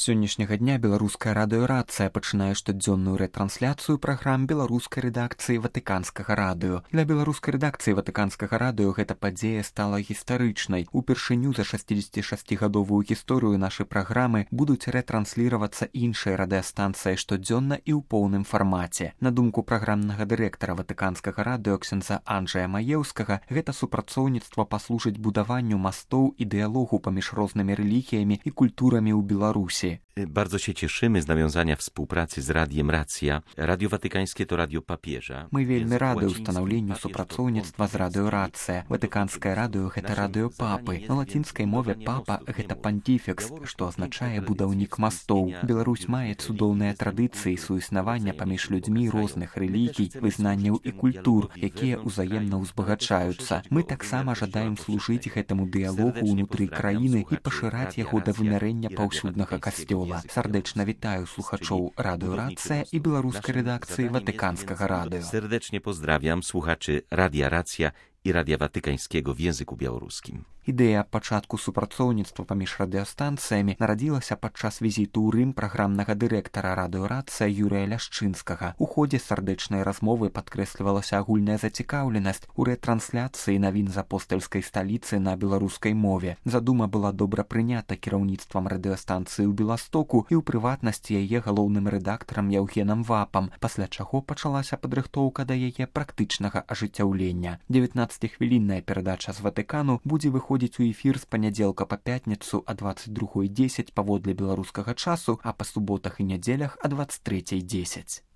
Сённяшняга дня беларуская радыёрацыя пачынае штодзённую рэтрансляцыю праграм беларускай рэдакцыі ватыканскага радыё. Для беларускай рэдакцыі ватыканскага радыё гэта падзея стала гістарычнай. Упершыню за 66гадовую гісторыю нашай праграмы будуць рэтрансліравацца іншыя радыёстанцыі штодзённа і ў поўным фармаце. На думку праграмнага дырэктара ватыканскага радыё ксяндза Анджэя Маеўскага, гэта супрацоўніцтва паслужыць будаванню мастоў і дыялогу паміж рознымі рэлігіямі і культурамі ў Беларусі. Bardzo się cieszymy z nawiązania współpracy z Radiem Racja. Radio Watykańskie to radio papieża. Мы вельмі рады ўстанаўленню супрацоўніцтва з радыёрацыя. Ватыканскае радыё — гэта радыё папы. На лацінскай мове папа — гэта пантіфекс, што азначае будаўнік мастоў. Беларусь мае цудоўныя традыцыі суіснавання паміж людзьмі розных рэлігій, вызнанняў і культур, якія ўзаемна ўзбагачаюцца. Мы таксама жадаем служыць гэтаму дыялогу ўнутры краіны і пашыраць яго да вымярэння паўсюднага касцёла. Сардэчна вітаю слухачоў радыёрацыя і беларускай рэдакцыі ватыканскага радыё. Serdecznie pozdrawiam słuchaczy Radia Racja i Radia Watykańskiego w języku białoruskim. Ідэя пачатку супрацоўніцтва паміж радыёстанцыямі нарадзілася падчас візіту ў Рым праграмнага дырэктара радыёрацыя Юрыя Ляшчынскага. У ходзе сардэчнай размовы падкрэслівалася агульная зацікаўленасць у рэтрансляцыі навін з апостальскай сталіцы на беларускай мове. Задума была добра прынята кіраўніцтвам радыёстанцыі ў Беластоку і ў прыватнасці яе галоўным рэдактарам Яўгенам Вапам, пасля чаго пачалася падрыхтоўка да яе практычнага ажыццяўлення. 19-хвілінная перадача з Ватыкану будзе выходзіць у эфір з панядзелка па пятніцу а 22:10 паводле беларускага часу, а па суботах і нядзелях а 23:10.